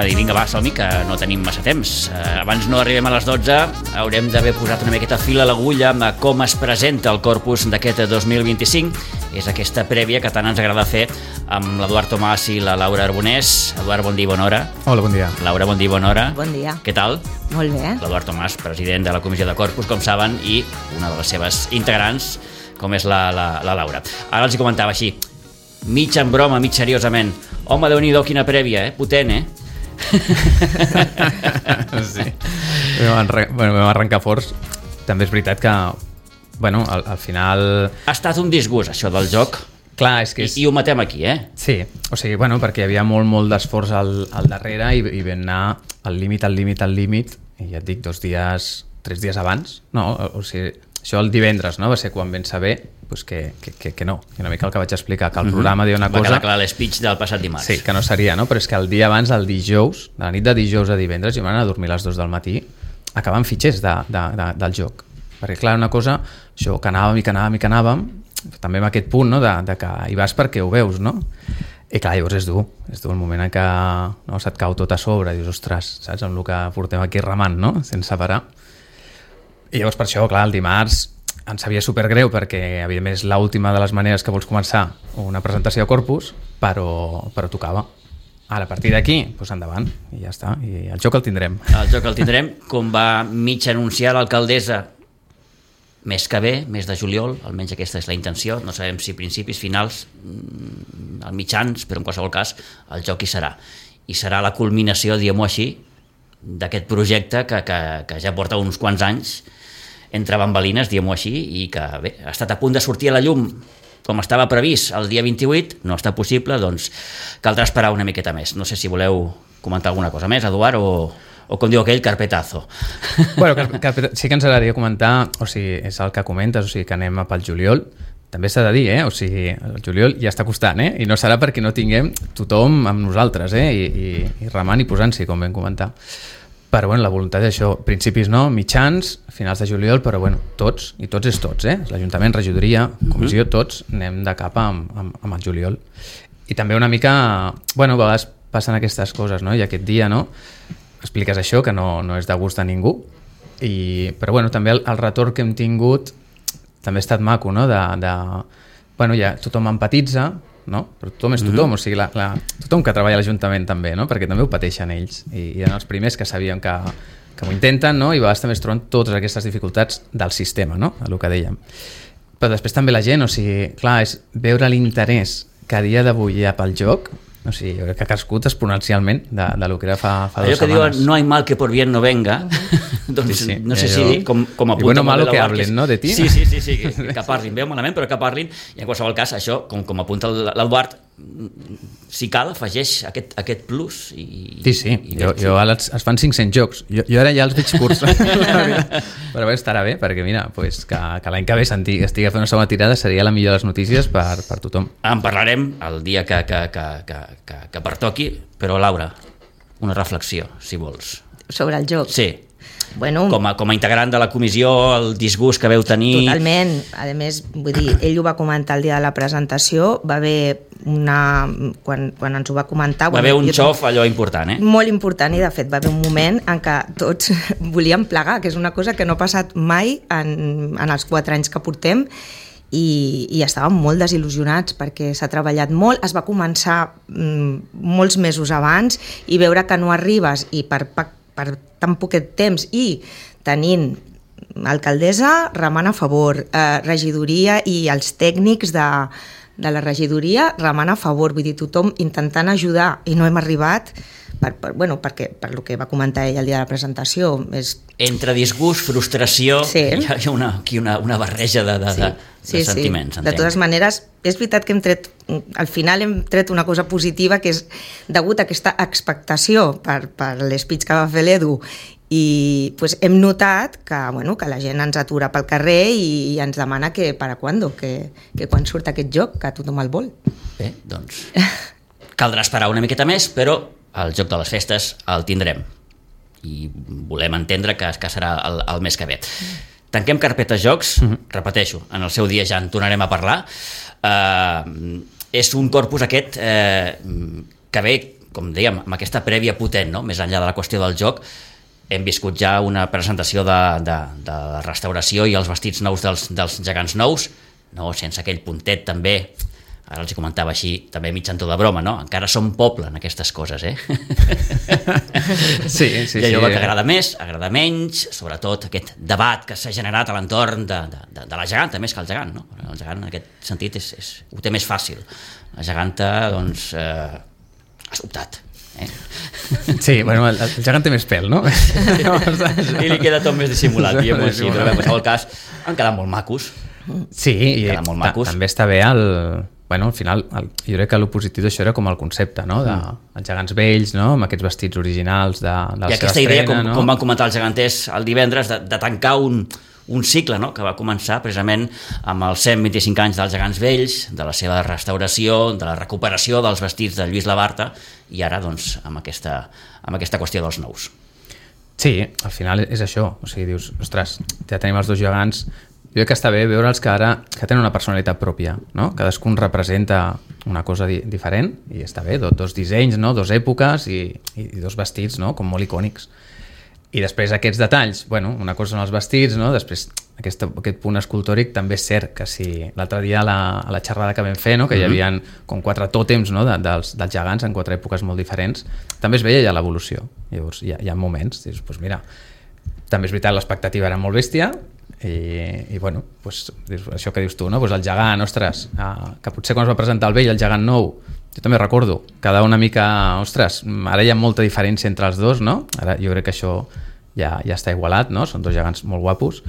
dir, vinga, va, som-hi, que no tenim massa temps. Abans no arribem a les 12, haurem d'haver posat una miqueta fil a l'agulla amb com es presenta el Corpus d'aquest 2025. És aquesta prèvia que tant ens agrada fer amb l'Eduard Tomàs i la Laura Arbonés. Eduard, bon dia i bona hora. Hola, bon dia. Laura, bon dia i bona hora. Bon dia. Què tal? Molt bé. L'Eduard Tomàs, president de la Comissió de Corpus, com saben, i una de les seves integrants, com és la Laura. Ara els hi comentava així, mig en broma, mig seriosament. Home, Déu-n'hi-do, quina prèvia, potent, Sí. Vam arrencar forts. També és veritat que, al final... Ha estat un disgust, això del joc. Clar, és que és... I ho matem aquí, Sí, o sigui, perquè hi havia molt d'esforç al darrere i vam anar al límit, i ja et dic, 3 dies abans, no? O sigui, això el divendres, no? Va ser quan vam saber que no. I una mica el que vaig explicar, que el programa deia una cosa... Va quedar clar l'speech del passat dimarts. Sí, que no seria, no? Però és que el dia abans, el dijous, de la nit de dijous a divendres, jo m'anava a dormir a les 2 del matí, acabant fitxers del joc. Perquè, clar, una cosa, això, que anàvem, també amb aquest punt, no?, de que hi vas perquè ho veus, no? I clar, llavors és dur el moment en què se't cau tot a sobre, dius, ostres, saps, amb el que portem aquí remant, no?, sense parar. I llavors per això, clar, el dimarts em sabia supergreu perquè, evidentment, és l'última de les maneres que vols començar una presentació de Corpus, però tocava. Ara, a partir d'aquí, doncs endavant, i ja està, i el joc el tindrem. El joc el tindrem, com va mig anunciar l'alcaldessa, mes que ve, mes de juliol, almenys aquesta és la intenció, no sabem si principis, finals, al mitjans, però en qualsevol cas el joc hi serà. I serà la culminació, diguem-ho així, d'aquest projecte que ja porta uns quants anys entre bambalines, diguem-ho així, i que bé, ha estat a punt de sortir a la llum com estava previst el dia 28, no està possible, doncs caldrà esperar una miqueta més. No sé si voleu comentar alguna cosa més, Eduard, o com diu aquell, carpetazo. Sí que ens agradaria comentar, o sigui, és el que comentes, o sigui, que anem pel juliol. També s'ha de dir, o sigui, el juliol ja està costant, i no serà perquè no tinguem tothom amb nosaltres, i remant i posant-s'hi, com vam comentar. Però la voluntat d'això, principis no, mitjans, finals de juliol, però tots, i tots és tots, l'Ajuntament, regidoria, comissió, tots anem de cap amb el juliol. I també una mica, a vegades passen aquestes coses, no? I aquest dia, no?, expliques això, que no és de gust a ningú, però també el retorn que hem tingut també ha estat maco, no?, ja tothom empatitza, no? Però tothom és tothom, o sigui, tothom que treballa a l'Ajuntament també, no? Perquè també ho pateixen ells, i eren els primers que sabien que ho intenten, no? I a vegades també es troben totes aquestes dificultats del sistema, no?, el que dèiem. Però després també la gent, o sigui, clar, és veure l'interès que a dia d'avui hi ha pel joc, o sigui, jo crec que ha crescut exponencialment de lo que era fa 2 setmanes. Allò que diuen, no hay mal que por bien no venga, doncs sí, no sé si com apunta... I bueno, malo que hablen, no?, de ti. Sí, que parlin, veu malament, però que parlin, i en qualsevol cas, això, com apunta l'Eduard, si cal, afegeix aquest plus. Sí, jo ara es fan 500 jocs, jo ara ja els veig curts, però estarà bé, perquè mira, que l'any que ve estigui fent una segona tirada seria la millor de les notícies per tothom. En parlarem el dia que pertoqui, però Laura, una reflexió, si vols. Sobre el joc? Sí. Com a integrant de la comissió, el disgust que veu tenir... Totalment. A més, vull dir, ell ho va comentar el dia de la presentació, va haver quan ens ho va comentar... Va haver un xof allò important, Molt important, i de fet va haver un moment en què tots volíem plegar, que és una cosa que no ha passat mai en els 4 anys que portem, i estàvem molt desil·lusionats perquè s'ha treballat molt, es va començar molts mesos abans, i veure que no arribes, i per tan poquet temps, i tenint alcaldessa remant a favor, regidoria i els tècnics de la regidoria remant a favor, vull dir, tothom intentant ajudar, i no hem arribat perquè per lo que va comentar ell el dia de la presentació entre disgust, frustració, sí. Hi ha una barreja de sentiments. De totes maneres, és veritat que al final hem tret una cosa positiva, que és degut a aquesta expectació per l'espeech que va fer l'Edu, i hem notat que la gent ens atura pel carrer i ens demana que para cuándo, que quan surt aquest joc, que tothom el vol. Bé, doncs caldrà esperar una miqueta més, però el joc de les festes el tindrem, i volem entendre que serà el mes que ve. Tanquem carpeta jocs, repeteixo, en el seu dia ja en tornarem a parlar. És un corpus aquest que ve com dèiem, amb aquesta prèvia potent, no? Més enllà de la qüestió del joc, hem viscut ja una presentació de la restauració i els vestits nous dels gegants nous, no? Sense aquell puntet també, ara els comentava així, també mig en to de broma, no? Encara som poble en aquestes coses, Sí. Hi ha allò que agrada més, agrada menys, sobretot aquest debat que s'ha generat a l'entorn de la geganta, més que el gegant, no? El gegant en aquest sentit ho té més fàcil. La geganta, doncs, ha sobtat. Sí, bueno, el gegant té més pèl, no? I li queda tot més dissimulat, diguem-ho així, però en qualsevol cas han quedat molt macos. Sí, i també està bé al final, jo crec que el positiu d'això era com el concepte, no? Els gegants vells, no? Amb aquests vestits originals de la seva estrena. I aquesta idea, com van comentar els geganters el divendres, de tancar un cicle, no? Que va començar precisament amb els 125 anys dels gegants vells, de la seva restauració, de la recuperació dels vestits de Lluís Labarta, i ara doncs amb aquesta qüestió dels nous. Sí, al final és això, o sigui, dius, ostres, ja tenim els dos gegants. Jo crec que està bé veure'ls que tenen una personalitat pròpia, no? Cadascun representa una cosa diferent i està bé, dos dissenys, no? Dos èpoques i dos vestits, no? Com molt icònics. I després aquests detalls, una cosa són els vestits, no? Després aquest punt escultòric també és cert que si l'altre dia a la xerrada que vam fer, no? Que hi havia com 4 tòtems, no? dels gegants en 4 èpoques molt diferents, també es veia ja l'evolució. Llavors hi ha moments, dius, doncs mira, també és veritat, l'expectativa era molt bèstia, i això que dius tu, no? El gegant, ostres, que potser quan es va presentar el vell, el gegant nou, jo també recordo, quedava una mica, ostres, ara hi ha molta diferència entre els dos, no? Ara jo crec que això ja està igualat, no? Són dos gegants molt guapos,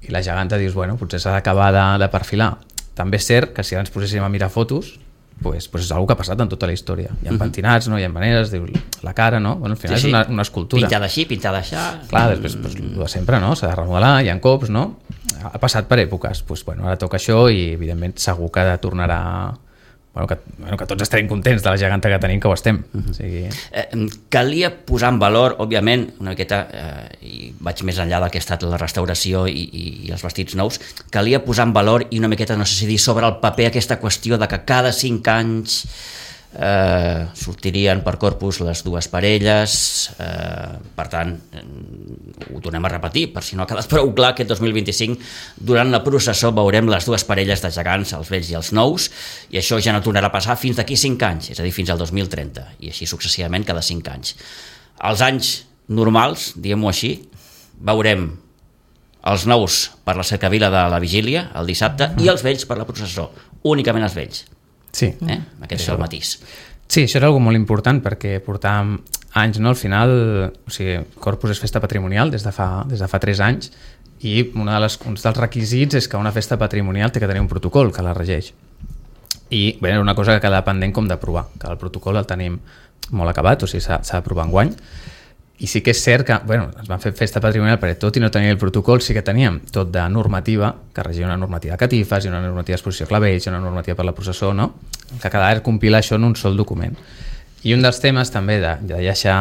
i la geganta dius, potser s'ha d'acabar de perfilar. També és cert que si ara ens poséssim a mirar fotos, pues és una que ha passat en tota la història. Hi ha pentinats, no? Hi ha maneres, diu la cara, no? Al final és una escultura. Pintada així, pintada així. Clar, després el de sempre, no? S'ha de remodelar, hi ha cops, no? Ha passat per èpoques. Ara toca això i evidentment segur que tornarà... que tots estarem contents de la geganta que tenim, que ho estem. O sigui... Calia posar en valor, òbviament, una miqueta, i vaig més enllà del que ha estat la restauració i els vestits nous, calia posar en valor i una miqueta, no sé si dir, sobre el paper aquesta qüestió de que cada 5 anys sortirien per Corpus les dues parelles, per tant ho tornem a repetir per si no ha quedat prou clar, aquest 2025 durant la processó veurem les dues parelles de gegants, els vells i els nous, i això ja no tornarà a passar fins d'aquí 5 anys, és a dir, fins al 2030, i així successivament cada 5 anys. Els anys normals, diguem-ho així, veurem els nous per la cercavila de la vigília el dissabte i els vells per la processó, únicament els vells. Sí. Aquest és el matís. Sí, això era algo molt important perquè portàvem anys, no? Al final, o sigui, Corpus és festa patrimonial des de fa 3 anys i un dels requisits és que una festa patrimonial té que tenir un protocol que la regeix. I era una cosa que quedava pendent com d'aprovar, que el protocol el tenim molt acabat, o sigui, s'ha d'aprovar enguany. I sí que és cert que es van fer festa patrimonial perquè tot i no tenir el protocol sí que teníem tot de normativa, que regia una normativa de catifes i una normativa d'exposició clavells i una normativa per la processó, no? Que quedava és compilar això en un sol document. I un dels temes també de deixar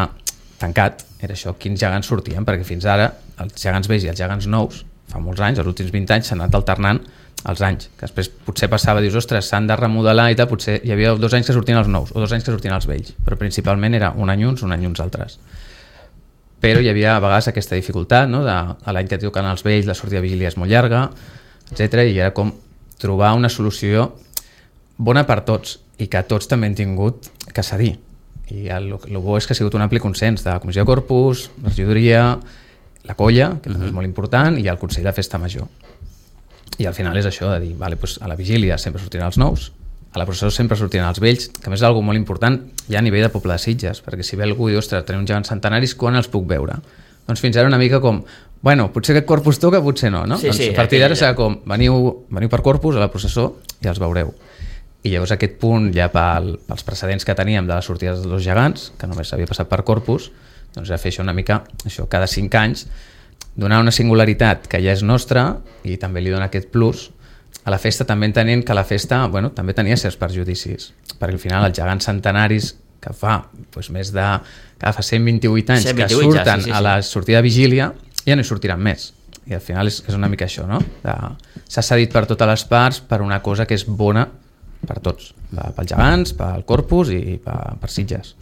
tancat era això, quins gegants sortien, perquè fins ara els gegants vells i els gegants nous, fa molts anys, els últims 20 anys s'han anat alternant els anys, que després potser passava, dius, ostres, s'han de remodelar i tal, potser hi havia 2 anys que sortien els nous o 2 anys que sortien els vells, però principalment era un any uns altres. Però hi havia a vegades aquesta dificultat, no? L'any que toquen els vells la sortida de vigília és molt llarga, etc. I era com trobar una solució bona per tots i que tots també han tingut que cedir. I el bo és que ha sigut un ampli consens de la Comissió de Corpus, la regidoria, la colla, que també és molt important, i el Consell de Festa Major. I al final és això de dir, vale, doncs a la vigília sempre sortiran els nous, a la processó sempre sortiran els vells, que a més és una cosa molt important ja a nivell de poble de Sitges, perquè si ve algú i diu, ostres, tenim uns gegants centenaris, quan els puc veure? Doncs fins ara una mica com, potser aquest Corpus toca, potser no, no? Sí, doncs a partir d'ara serà com, veniu per Corpus a la processó i els veureu. I llavors aquest punt ja pels precedents que teníem de les sortides dels dos gegants, que només s'havia passat per Corpus, doncs ja fer això una mica, això cada 5 anys, donar una singularitat que ja és nostra i també li dona aquest plus a la festa, també entenent que la festa també tenia certs perjudicis, perquè al final els gegants centenaris que fa més de... que fa 128 anys que surten a la sortida de vigília ja no hi sortiran més, i al final és una mica això, no? S'ha cedit per totes les parts per una cosa que és bona per tots, pels gegants, pel Corpus i per Sitges.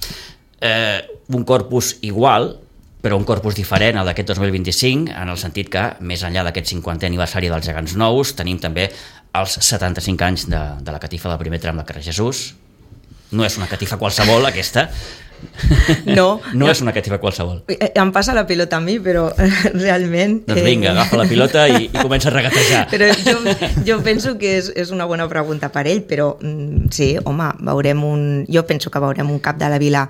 un corpus igual, però un corpus diferent al d'aquest 2025, en el sentit que, més enllà d'aquest 50è aniversari dels Gegants Nous, tenim també els 75 anys de la catifa del primer tram del carrer Jesús. No és una catifa qualsevol, aquesta. No. No és una catifa qualsevol. Em passa la pilota a mi, però realment... Doncs vinga, agafa la pilota i comença a regatejar. Però jo penso que és una bona pregunta per ell, però sí, home, jo penso que veurem un cap de la Vila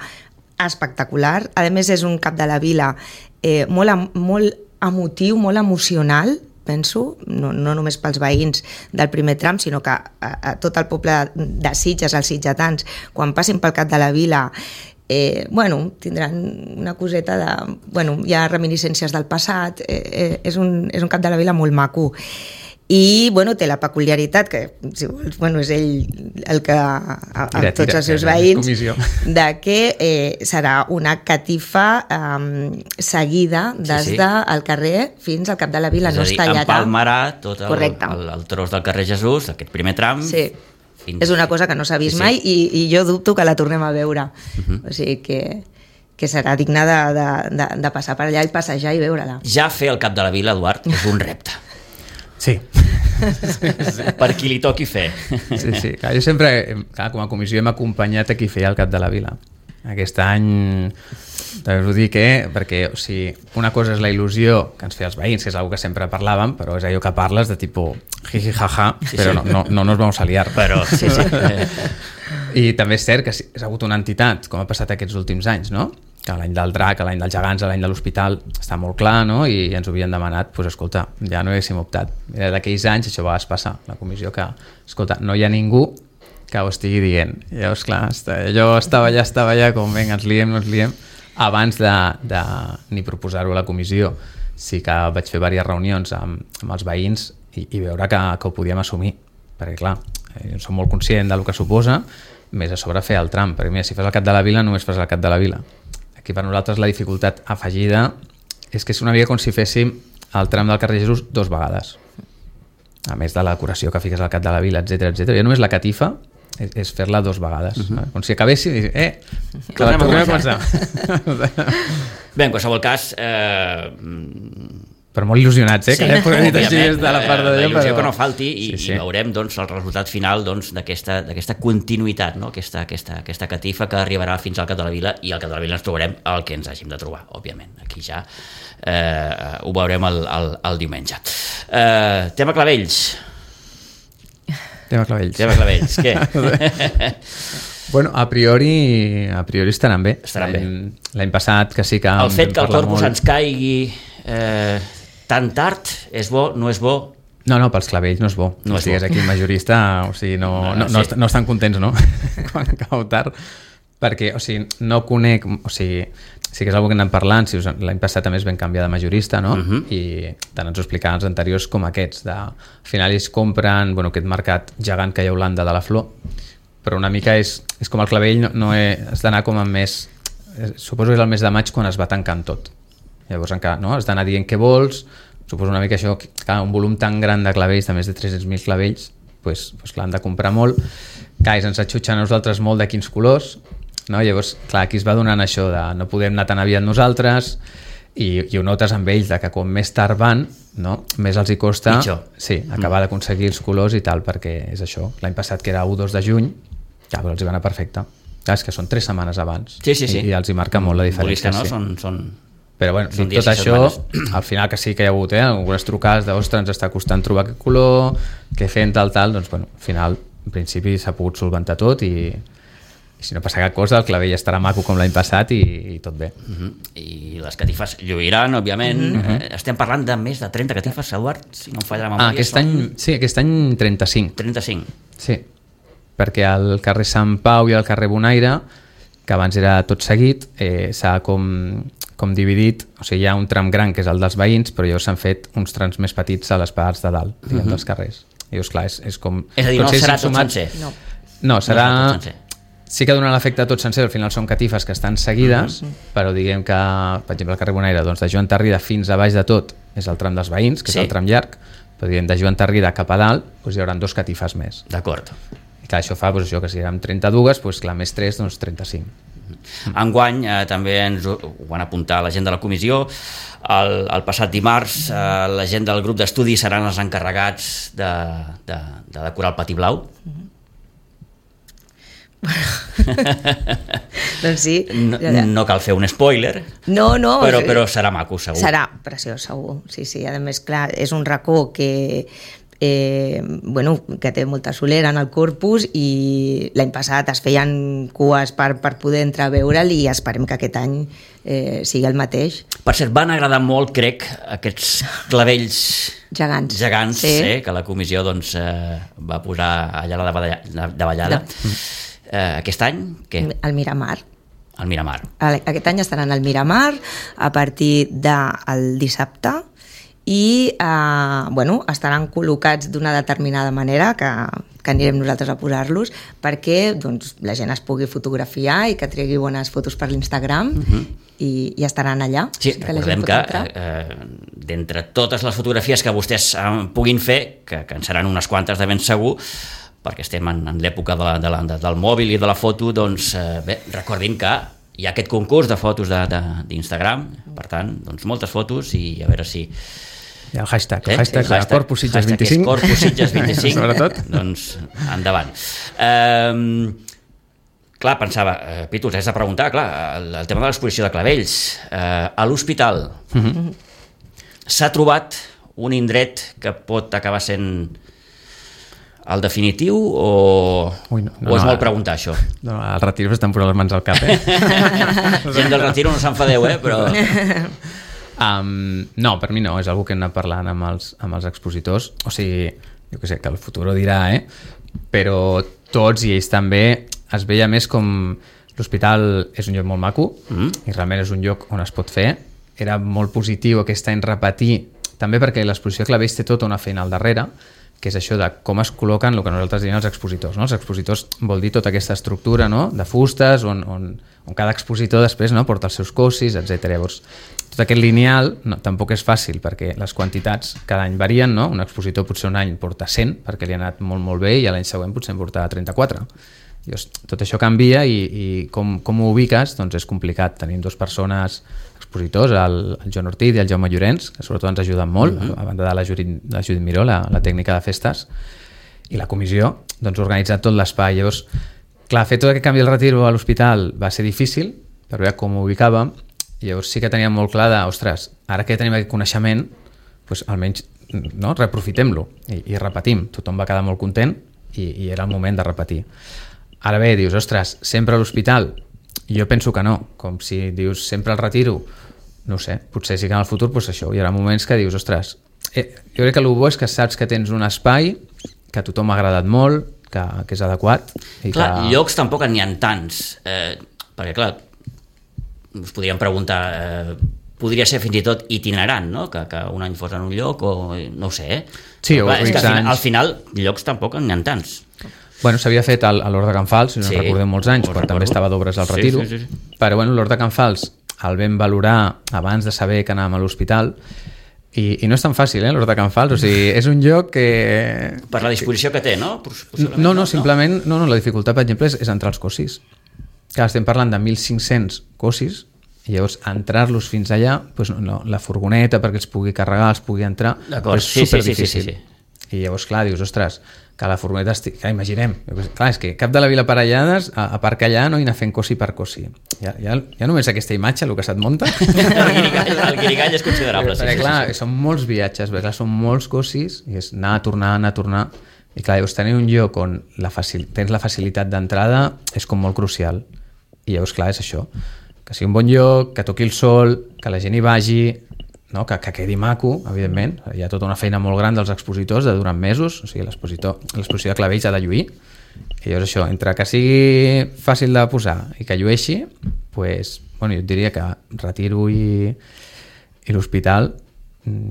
espectacular. A més, és un cap de la Vila molt emotiu, molt emocional, penso, no només pels veïns del primer tram, sinó que a tot el poble de Sitges, els sitgetans, quan passin pel cap de la Vila, tindran una coseta de... hi ha reminiscències del passat, és un cap de la Vila molt maco. I té la peculiaritat que, si vols, és ell el que a tots els seus veïns de que serà una catifa seguida des del carrer fins al cap de la Vila. És a dir, empalmarà tot el tros del carrer Jesús, aquest primer tram. Sí, és una cosa que no s'ha vist mai i jo dubto que la tornem a veure. O sigui que serà digne de passar per allà i passejar i veure-la. Ja fer el cap de la Vila, Eduard, és un repte. Sí. Per qui li toqui fer. Sí. Jo sempre, com a comissió, hem acompanyat a qui feia el cap de la Vila. Aquest any, també us ho dic, perquè una cosa és la il·lusió que ens feia els veïns, que és una que sempre parlàvem, però és allò que parles de tipus jiji jaja, però no nos vamos a liar. Però, sí. I també és cert que ha hagut una entitat, com ha passat aquests últims anys, no? Que l'any del drac, l'any dels gegants, l'any de l'hospital està molt clar, no? I ens ho havien demanat, doncs escolta, ja no haguéssim optat. D'aquells anys això va passar, la comissió, que escolta, no hi ha ningú que ho estigui dient. Llavors, clar, jo estava allà com, vinga, ens liem, no ens liem, abans de ni proposar-ho a la comissió. Sí que vaig fer diverses reunions amb els veïns i veure que ho podíem assumir, perquè clar, jo som molt conscient del que suposa, més a sobre fer el tram, perquè mira, si fas el cap de la Vila només fas el cap de la Vila. Aquí per nosaltres la dificultat afegida és que és una mica com si féssim el tram del carrer Jesús 2 vegades, a més de la decoració que fiques al cap de la Vila, etc. Ja només la catifa és fer-la 2 vegades, com si acabéssim que la tornem a començar. Bé, en qualsevol cas, però molt il·lusionats, que ja podem dir així des de la part de Déu, però que no falti i veurem el resultat final d'aquesta continuïtat, aquesta catifa que arribarà fins al cap de la Vila, i al cap de la Vila ens trobarem el que ens hàgim de trobar, òbviament. Aquí ja ho veurem el diumenge. Tema clavells. Tema clavells, què? Bueno, a priori estaran bé. L'any passat que sí que... El fet que el corpus ens caigui tan tard, és bo, no és bo? No, pels clavells no és bo. No estigués aquí el majorista, no estan contents, no? Quan cau tard, perquè, no conec, sí que és una cosa que anem parlant, l'any passat també es van canviar de majorista, no? I tant ens ho explicaven els anteriors com aquests, al final ells compren, aquest mercat gegant que hi ha a Holanda de la flor, però una mica és com el clavell, has d'anar com amb més, suposo que és el mes de maig quan es va tancant tot. Llavors encara has d'anar dient què vols, suposo una mica això, clar, un volum tan gran de clavells, de més de 300.000 clavells, doncs clar, han de comprar molt, clar, ens atxutxen a nosaltres molt de quins colors, no? Llavors, clar, aquí es va donant això de no podem anar tan aviat nosaltres, i ho notes amb ells, que com més tard van, no? Més els hi costa acabar d'aconseguir els colors i tal, perquè és això, l'any passat que era 1-2 de juny, ja, però els hi va anar perfecte. Clar, és que són 3 setmanes abans, i els hi marca molt la diferència. Però bueno, tot això, al final que sí que hi ha hagut algunes trucades d'ostres, ens està costant trobar aquest color, què fem, tal, doncs bueno, al final, en principi s'ha pogut solventar tot i si no passa cap cosa, el clavell estarà maco com l'any passat i tot bé. I les catifes lluiran, òbviament. Estem parlant de més de 30 catifes, Eduard, si no em falla la memòria. Aquest any 35. 35. Sí, perquè al carrer Sant Pau i al carrer Bonaire, que abans era tot seguit, s'ha com dividit, hi ha un tram gran que és el dels veïns, però llavors s'han fet uns trams més petits a les parts de dalt, dels carrers. I llavors, clar, és com... És a dir, no serà tot sencer. No, serà... Sí que donen l'efecte tot sencer, al final són catifes que estan seguides, però diguem que, per exemple, el carrer Bonaire, doncs de Joan Tarrida fins a baix de tot és el tram dels veïns, que és el tram llarg, però diguem de Joan Tarrida cap a dalt doncs hi haurà 2 catifes més. D'acord. I clar, això fa que si érem 32, doncs clar, més 3, doncs 35. Enguany també ens ho van apuntar la gent de la comissió. El passat dimarts la gent del grup d'estudi seran els encarregats de decorar el pati blau. Doncs sí. No cal fer un spoiler, no, però serà maco, segur. Serà preciós, segur. Sí, a més, clar, és un racó que té molta solera en el corpus i l'any passat es feien cues per poder entrar a veure'l i esperem que aquest any sigui el mateix. Per cert, van agradar molt, crec, aquests clavells gegants sí. Que la comissió doncs, va posar allà a la davallada. Aquest any, què? El Miramar. El Miramar. Aquest any estaran al Miramar a partir del dissabte i estaran col·locats d'una determinada manera que anirem nosaltres a posar-los perquè doncs, la gent es pugui fotografiar i que tregui bones fotos per l'Instagram i estaran allà. Sí, recordem que d'entre totes les fotografies que vostès puguin fer, que en seran unes quantes de ben segur, perquè estem en l'època del mòbil i de la foto, doncs recordin que hi ha aquest concurs de fotos d'Instagram, per tant, doncs moltes fotos i a veure si... I el hashtag Corpus Sitges 25. Corpus Sitges 25, sobretot. Doncs endavant. Clar, pensava, Pitu, has de preguntar, clar, el tema de l'exposició de clavells. A l'hospital s'ha trobat un indret que pot acabar sent el definitiu o és molt preguntar això? No, els retiros estan posant les mans al cap, Gent del retiro no s'enfadeu, però... No, per mi no, és una que hem anat parlant amb els expositors, o sigui, jo què sé, que el futur ho dirà, però tots i ells també es veia més com l'hospital és un lloc molt maco i realment és un lloc on es pot fer. Era molt positiu aquest any repetir, també perquè l'exposició de clavells té tota una feina al darrere, que és això de com es col·loquen el que nosaltres diem els expositors. No? Els expositors vol dir tota aquesta estructura, no? De fustes on cada expositor després porta els seus cossis, etc. Llavors, tot aquest lineal tampoc és fàcil perquè les quantitats cada any varien, no? Un expositor potser un any porta 100 perquè li ha anat molt, molt bé i l'any següent potser en porta 34. Llavors, tot això canvia i com ho ubiques doncs és complicat. Tenim dues persones expositors, el Joan Ortiz i el Jaume Llorenç, que sobretot ens ajuden molt, a banda de la Judit Miró, la tècnica de festes, i la comissió doncs, ha organitzat tot l'espai. Llavors, clar, fer tot aquest canvi del retiro a l'hospital va ser difícil, per veure com ho ubicàvem, i llavors sí que teníem molt clar de, ostres, ara que tenim aquest coneixement, doncs almenys reaprofitem-lo i repetim. Tothom va quedar molt content i era el moment de repetir. Ara bé, dius, ostres, sempre a l'hospital? Jo penso que no, com si dius sempre al retiro, no sé, potser sí que en el futur doncs això, hi haurà moments que dius, ostres, jo crec que el bo és que saps que tens un espai que a tothom ha agradat molt, que és adequat. I clar, llocs tampoc n'hi ha tants, perquè clar, us podríem preguntar, podria ser fins i tot itinerant, no? Que un any fos en un lloc o no ho sé, Sí, clar, és que al final llocs tampoc n'hi ha tants. Bueno, s'havia fet a l'Hort de Can Fals, si no recordem molts anys, però també estava d'obres al retiro. Sí. Però bueno, l'Hort de Can Fals el vam valorar abans de saber que anàvem a l'hospital i no és tan fàcil, l'Hort de Can Fals, o sigui, és un lloc que... Per la disposició que té, no? No, simplement, la dificultat, per exemple, és entrar als cossis. Clar, estem parlant de 1.500 cossis i llavors entrar-los fins allà, doncs, la furgoneta perquè els pugui carregar, els pugui entrar, és superdifícil. Sí. I llavors, clar, dius, ostres, que la furgoneta clar, imaginem, clar, és que cap de la Vila Parellades aparcar allà no i anar fent cossi per cossi. Ja només aquesta imatge, el que se't munta. El guirigall és considerable. Perquè, clar, són molts viatges, perquè, clar, són molts cossis, i és anar a tornar, i clar, llavors tenir un lloc on tens la facilitat d'entrada és com molt crucial. I llavors, clar, és això, que sigui un bon lloc, que toqui el sol, que la gent hi vagi, no? Que quedi maco, evidentment. Hi ha tota una feina molt gran dels expositors de durant mesos, o sigui, l'exposició de clavells ha de lluir, i llavors això, entre que sigui fàcil de posar i que llueixi, pues, bueno, jo et diria que retiro i l'hospital,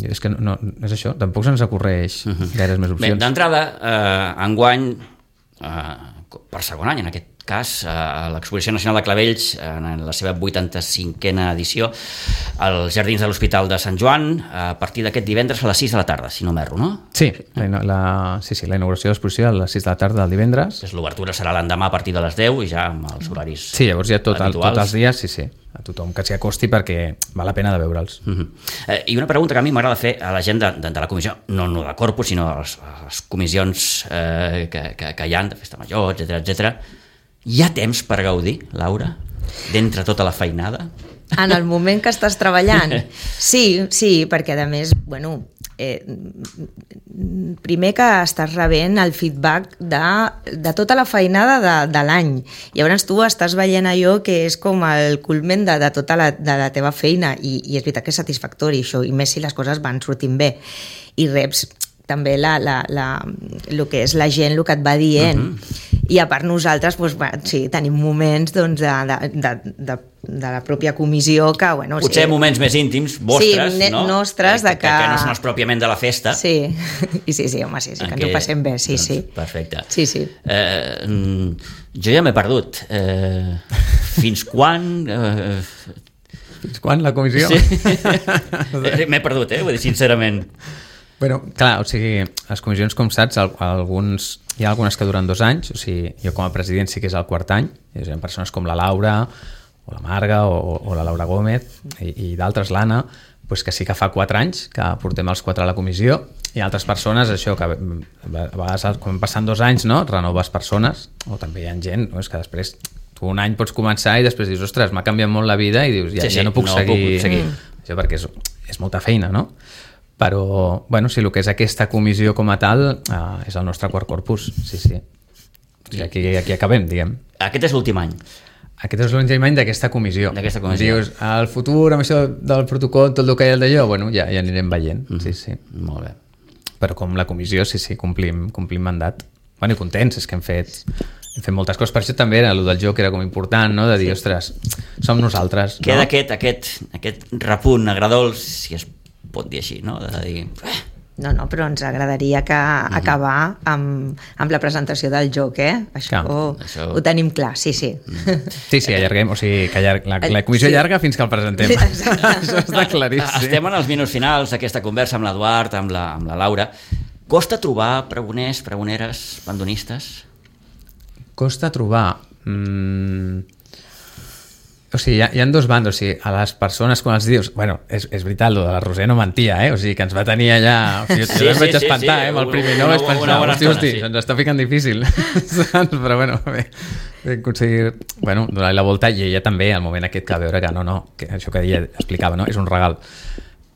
és que no, és això, tampoc se'ns ocorreix gaires més opcions. Bé, d'entrada, enguany, per segon any en aquest cas, a l'Exposició Nacional de Clavells, en la seva 85a edició, als Jardins de l'Hospital de Sant Joan, a partir d'aquest divendres a les 6 de la tarda, si no m'erro, no? Sí, la inauguració de l'exposició a les 6 de la tarda del divendres. L'obertura serà l'endemà a partir de les 10 i ja amb els horaris Sí, llavors ja tots els dies, sí, a tothom que s'hi acosti perquè val la pena de veure'ls. I una pregunta que a mi m'agrada fer a la gent de la comissió, no de Corpus, sinó a les comissions que hi ha, de festa major, etcètera. Hi ha temps per gaudir, Laura, d'entre tota la feinada? En el moment que estàs treballant? Sí, perquè a més, primer que estàs rebent el feedback de tota la feinada de l'any. Llavors tu estàs veient allò que és com el culmen de tota la teva feina i és veritat que és satisfactori això, i més si les coses van sortint bé. I reps també el que és la gent, el que et va dient. I a part nosaltres sí, tenim moments de la pròpia comissió que... Potser moments més íntims, vostres, no? Nostres, que no són els pròpiament de la festa. Sí, home, sí, que ens ho passem bé, sí. Perfecte. Sí. Jo ja m'he perdut. Fins quan... Fins quan la comissió? Sí. M'he perdut, vull dir, sincerament. Clar, o sigui, les comissions, com saps, hi ha algunes que duren 2 anys, o sigui, jo com a president sí que és el 4è any, hi ha persones com la Laura, o la Marga, o la Laura Gómez, i d'altres, l'Anna, que sí que fa 4 anys que portem els 4 a la comissió, i altres persones, això, que a vegades, quan passen 2 anys, no?, renoves persones, o també hi ha gent, no?, és que després tu un any pots començar i després dius, ostres, m'ha canviat molt la vida, i dius, ja no puc seguir. Això perquè és molta feina, no? Però, sí, el que és aquesta comissió com a tal és el nostre quart corpus, sí. Aquí acabem, diguem. Aquest és l'últim any? Aquest és l'últim any d'aquesta comissió. Dius, al futur, amb això del protocol, tot el que hi ha d'allò, ja anirem veient, sí. Molt bé. Però com la comissió, sí, complim mandat. I contents, és que hem fet moltes coses. Per això també era el del joc, era com important, no?, de dir, ostres, som nosaltres. Queda aquest repunt agradols, si es pot dir així, no? De dir... No, però ens agradaria acabar amb la presentació del joc, Això ho tenim clar, sí. Sí, allarguem, o sigui, que la comissió allarga fins que el presentem. Això està claríssim. Estem en els minuts finals d'aquesta conversa amb l'Eduard, amb la Laura. Costa trobar pregoners, pregoneres, bandonistes? Costa trobar... O sigui, hi ha 2 bandos, o sigui, a les persones quan els dius... és veritat, el de la Roser no mentia, o sigui, que ens va tenir allà... O sigui, jo em vaig espantar, amb el primer no vaig pensar, hosti, ens està ficant difícil. Però bé, vam aconseguir, donar-li la volta, i ella també, al moment aquest que va veure que això que ella explicava, no? És un regal.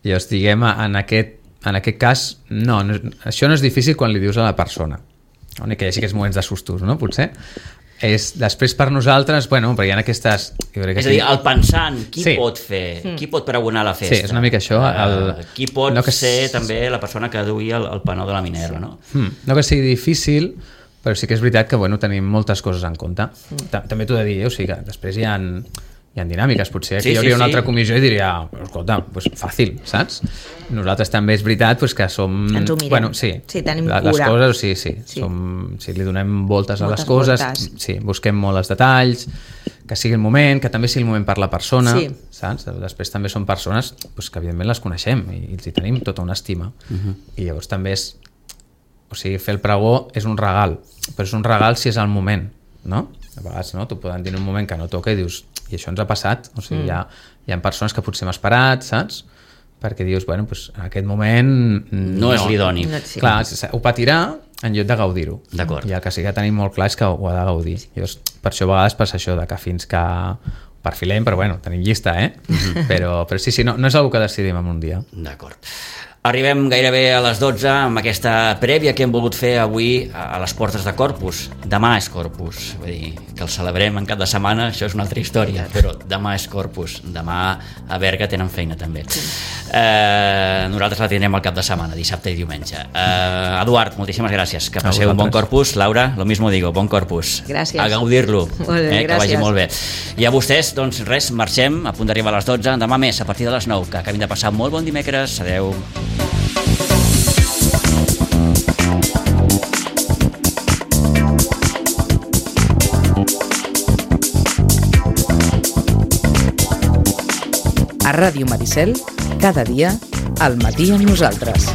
Llavors, diguem, en aquest cas, no, això no és difícil quan li dius a la persona. Que hi hagi aquests moments de sustos, no? Potser. Després per nosaltres, perquè hi ha aquestes... És a dir, el pensant, qui pot fer? Qui pot pregonar la festa? Sí, és una mica això. Qui pot ser també la persona que duia el panó de la Minerva, no? No que sigui difícil, però sí que és veritat que tenim moltes coses en compte. També t'ho he de dir, o sigui que després hi ha dinàmiques, potser aquí hi hauria una altra comissió i diria, escolta, fàcil, saps? Nosaltres també és veritat que som... Ens ho mirem, tenim cura. Les coses, sí, li donem voltes a les coses, sí, busquem molt els detalls, que sigui el moment, que també sigui el moment per la persona, saps? Després també són persones que evidentment les coneixem i els hi tenim tota una estima. I llavors també és... O sigui, fer el pregó és un regal, però és un regal si és el moment, no? A vegades t'ho poden dir en un moment que no toca i dius, i això ens ha passat, o sigui, hi ha persones que potser hem esperat, saps? Perquè dius, en aquest moment... No és l'idoni. Clar, ho patirà en lloc de gaudir-ho. D'acord. I el que sí que tenim molt clar és que ho ha de gaudir. Llavors, per això a vegades passa això, de que fins que perfilem, però tenim llista, Però sí, no és una cosa que decidim en un dia. D'acord. Arribem gairebé a les 12 amb aquesta prèvia que hem volgut fer avui a les portes de Corpus. Demà és Corpus, vull dir, que el celebrem en cap de setmana, això és una altra història, però demà és Corpus, demà a Berga tenen feina també. Nosaltres la tindrem al cap de setmana, dissabte i diumenge. Eduard, moltíssimes gràcies, que passeu un bon Corpus. Laura, lo mismo digo, bon Corpus. Gràcies. A gaudir-lo, gràcies. Que vagi molt bé. I a vostès, doncs res, marxem, a punt d'arribar a les 12, demà més, a partir de les 9, que acabin de passar molt bon dimecres, adeu. A Ràdio Maricel, cada dia, al matí amb nosaltres.